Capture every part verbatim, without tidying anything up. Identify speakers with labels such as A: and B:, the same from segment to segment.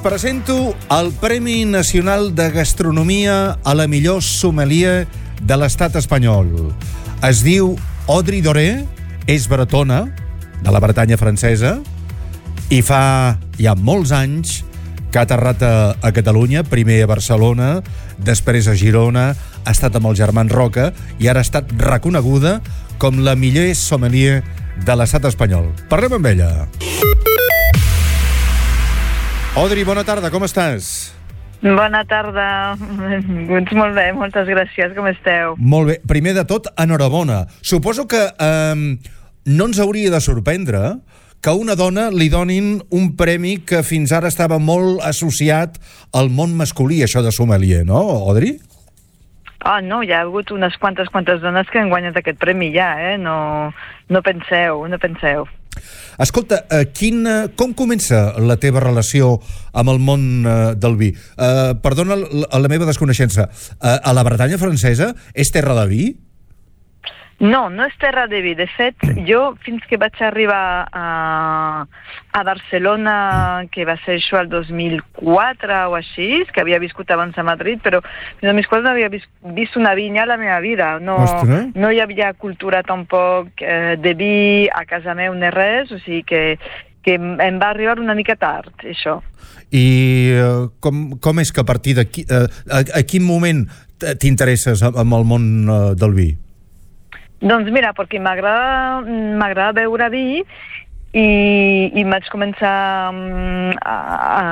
A: presento el Premi Nacional de Gastronomia a la millor sommelier de l'estat espanyol. Es diu Audrey Doré, és bretona, de la Bretanya francesa, i fa ja molts anys que ha aterrat a, a Catalunya, primer a Barcelona, després a Girona, ha estat amb els germans Roca i ara ha estat reconeguda com la millor sommelier de l'estat espanyol. Parlem amb ella. Audrey, bona tarda, com estàs?
B: Bona tarda, benvinguts, molt bé, moltes gràcies, com esteu?
A: Molt bé, primer de tot, enhorabona. Suposo que eh, no ens hauria de sorprendre que a una dona li donin un premi que fins ara estava molt associat al món masculí, això de sommelier, no, Audrey?
B: Ah, no, hi ha hagut unes quantes, quantes dones que han guanyat aquest premi ja, eh? No, no penseu, no penseu.
A: Escolta, eh, quin, com comença la teva relació amb el món eh, del vi? Eh, perdona la, la meva desconeixença. Eh, a la Bretanya francesa és terra de vi?
B: No, no és terra de vi. De fet, jo fins que vaig arribar a, a Barcelona, que va ser això el dos mil quatre o així, que havia viscut abans a Madrid, però fins al dos mil quatre no havia vist, vist una vinya a la meva vida. No, no hi havia cultura tampoc eh, de vi a casa meu ni res, o sigui que, que em va arribar una mica tard, això.
A: I eh, com, com és que a partir d'aquí, eh, a, a quin moment t'interesses amb el món eh, del vi?
B: Doncs mira, perquè m'agrada m'agrada beure vi i, i vaig començar a, a,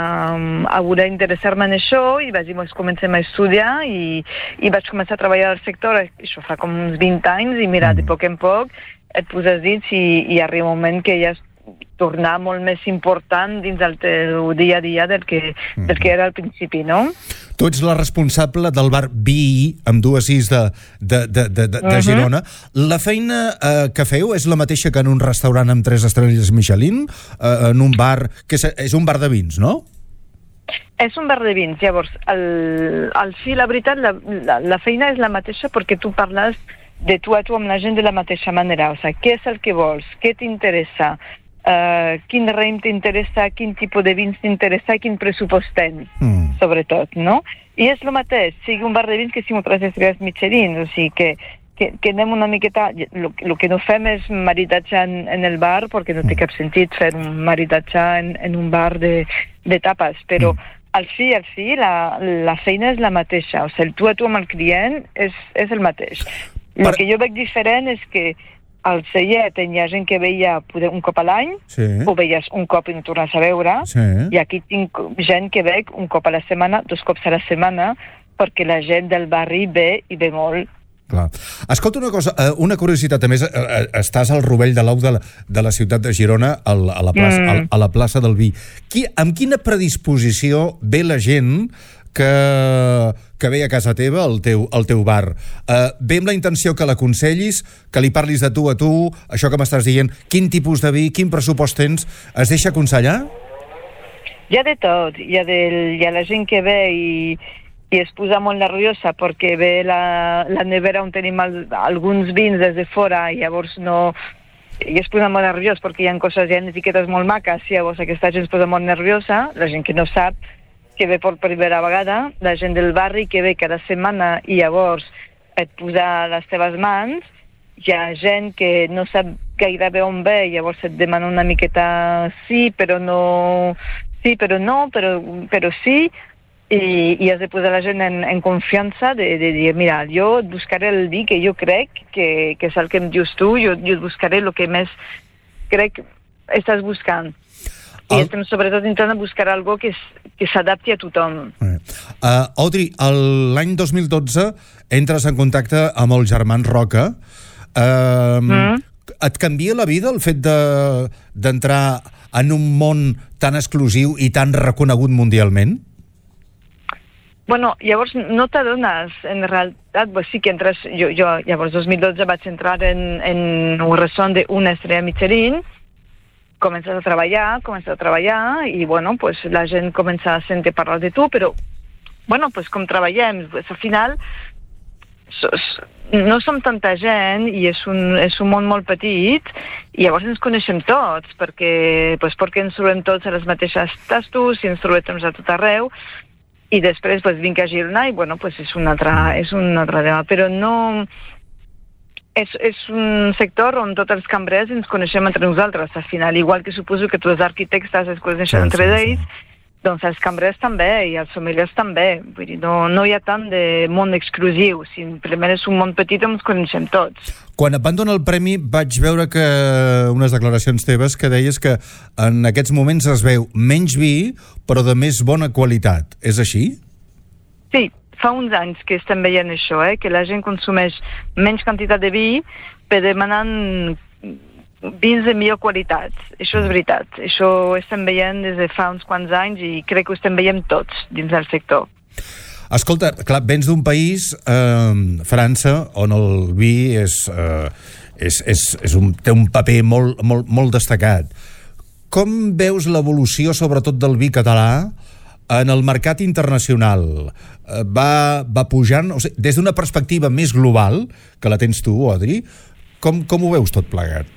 B: a voler interessar-me en això i vaig dir, doncs comencem a estudiar i, i vaig començar a treballar al sector, això fa com uns vint anys, i mira, de poc en poc et poses dins i, i arriba un moment que ja és tornar molt més important dins del teu dia a dia del que, del que era al principi, no?
A: Tu ets la responsable del bar Vi, amb dues is de, de, de, de, de uh-huh. Girona. La feina eh, que feu és la mateixa que en un restaurant amb tres estrelles Michelin, eh, en un bar, que és, és un bar de vins, no?
B: És un bar de vins. Llavors, al, al fi, la veritat, la, la, la feina és la mateixa perquè tu parles de tu a tu amb la gent de la mateixa manera. O sigui, què és el que vols? Què t'interessa? Uh, quin raïm t'interessa, quin tipus de vins t'interessa i quin pressupost tens, mm. sobretot, no? I és el mateix, sigui un bar de vins que sigui un tres estrelles Michelin, o sigui que, que, que anem una miqueta... El que no fem és maridatge en, en el bar, perquè no té cap sentit fer un maridatge en, en un bar de, de tapes, però mm. al fi, al fi, la, la feina és la mateixa, o sigui, el tu a tu amb el client és, és el mateix. El per... que jo veig diferent és que al Cellet hi ha gent que veia un cop a l'any, sí. o veies un cop i no tornes a veure, sí. i aquí tinc gent que veig un cop a la setmana, dos cops a la setmana, perquè la gent del barri ve i ve molt.
A: Clar. Escolta una cosa, una curiositat, a més, estàs al rovell de l'ou de, de la ciutat de Girona, a la plaça, mm. a la plaça del Vi. Qui, amb quina predisposició ve la gent que, que ve a casa teva, al teu, al teu bar? Uh, ve amb la intenció que l'aconsellis, que li parlis de tu a tu, això que m'estàs dient, quin tipus de vi, quin pressupost tens, es deixa aconsellar?
B: Hi ha de tot, hi ha, del, hi ha la gent que ve i, i es posa molt nerviosa perquè ve la, la nevera on tenim el, alguns vins des de fora i llavors no... i es posa molt nerviós perquè hi ha coses, hi ha etiquetes molt maques, i llavors aquesta gent es posa molt nerviosa, la gent que no sap, que ve per primera vegada, la gent del barri que ve cada setmana i llavors et posa les teves mans, hi ha gent que no sap gairebé on ve i llavors et demana una miqueta sí, però no, sí, però no, però, però sí, i, i has de posar la gent en, en confiança de, de dir, mira, jo et buscaré el vi que jo crec que, que és el que em dius tu, jo, jo et buscaré el que més crec estàs buscant. I el... estem sobretot intentant buscar algo que, que s'adapti a tothom. Uh,
A: Audrey, l'any dos mil dotze entres en contacte amb els germans Roca. Uh, mm. Et canvia la vida el fet d'entrar de, en un món tan exclusiu i tan reconegut mundialment?
B: Bueno, llavors no t'adones, en realitat, pues sí que entres... Jo, jo llavors, dos mil dotze vaig entrar en, en un restaurant d'una estrella Michelin, comences a treballar, comences a treballar i, bueno, pues la gent comença a sentir parlar de tu, però, bueno, pues com treballem, pues al final no som tanta gent i és un, és un món molt petit i llavors ens coneixem tots perquè, pues, perquè ens trobem tots a les mateixes tastos i ens trobem a tot arreu i després pues, vinc a Girona i bueno, pues, és, un altre, és un altre tema, però no... És, és un sector on tots els cambrers ens coneixem entre nosaltres, al final, igual que suposo que tots els arquitectes es coneixen sí, entre sí, ells, sí. Doncs els cambrers també i els sommeliers també. Vull dir, no, no hi ha tant de món exclusiu, simplement és un món petit on ens coneixem tots.
A: Quan et van donar el premi vaig veure que unes declaracions teves que deies que en aquests moments es veu menys vi però de més bona qualitat. És així?
B: Sí. Fa uns anys que estem veient això, eh? Que la gent consumeix menys quantitat de vi per demanant vins de millor qualitat. Això és veritat. Això ho estem veient des de fa uns quants anys i crec que ho estem veient tots dins del sector.
A: Escolta, clar, vens d'un país, eh, França, on el vi és, eh, és, és, és un, té un paper molt, molt, molt destacat. Com veus l'evolució, sobretot del vi català, en el mercat internacional? Va, va pujant, o sigui, des d'una perspectiva més global, que la tens tu, Audrey, com, com ho veus tot plegat?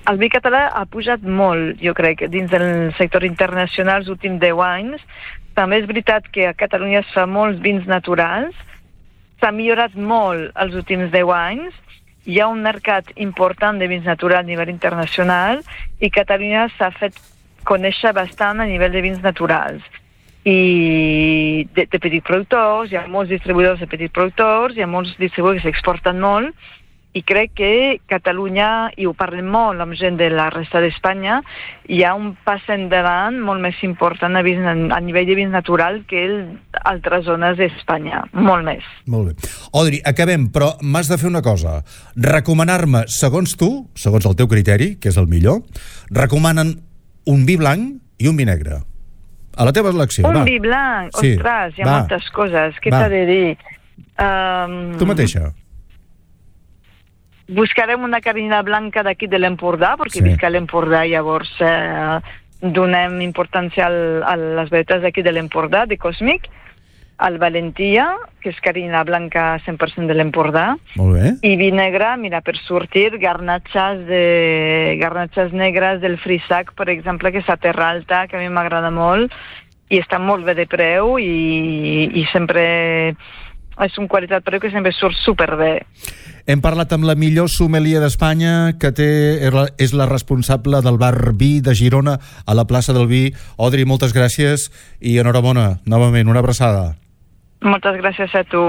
B: El vi català ha pujat molt, jo crec, dins del sector internacional els últims deu anys. També és veritat que a Catalunya es fa molts vins naturals, s'ha millorat molt els últims deu anys, hi ha un mercat important de vins naturals a nivell internacional i Catalunya s'ha fet conèixer bastant a nivell de vins naturals i de, de petits productors, hi ha molts distribuïdors de petits productors, hi ha molts distribuïdors que s'exporten molt i crec que Catalunya, i ho parlem molt amb gent de la resta d'Espanya, hi ha un pas endavant molt més important a, vins, a nivell de vins natural que en altres zones d'Espanya, molt més.
A: Molt bé. Audrey, acabem, però m'has de fer una cosa. Recomanar-me, segons tu, segons el teu criteri, que és el millor, recomanen un vi blanc i un vi negre. A la teva elecció,
B: un
A: va.
B: Un vi blanc?
A: Sí.
B: Ostres, hi ha
A: va.
B: moltes coses. Què t'ha de dir? Um...
A: Tu mateixa.
B: Buscarem una carnina blanca d'aquí de l'Empordà, perquè
A: sí.
B: visc a l'Empordà, llavors eh, donem importància al, a les varietats d'aquí de l'Empordà, de Cosmic, al Valentia, que és carnina blanca cent per cent de l'Empordà.
A: Molt bé.
B: I vi negre, mira, per sortir, garnatxes, de, garnatxes negres del Frisac, per exemple, que és a Terra Alta, que a mi m'agrada molt, i està molt bé de preu, i, i sempre és una qualitat preu que sempre surt superbé.
A: Hem parlat amb la millor sommelier d'Espanya, que té, és la responsable del bar Vi de Girona a la plaça del Vi. Audrey, moltes gràcies i enhorabona, novament, una abraçada.
B: Moltes gràcies a tu.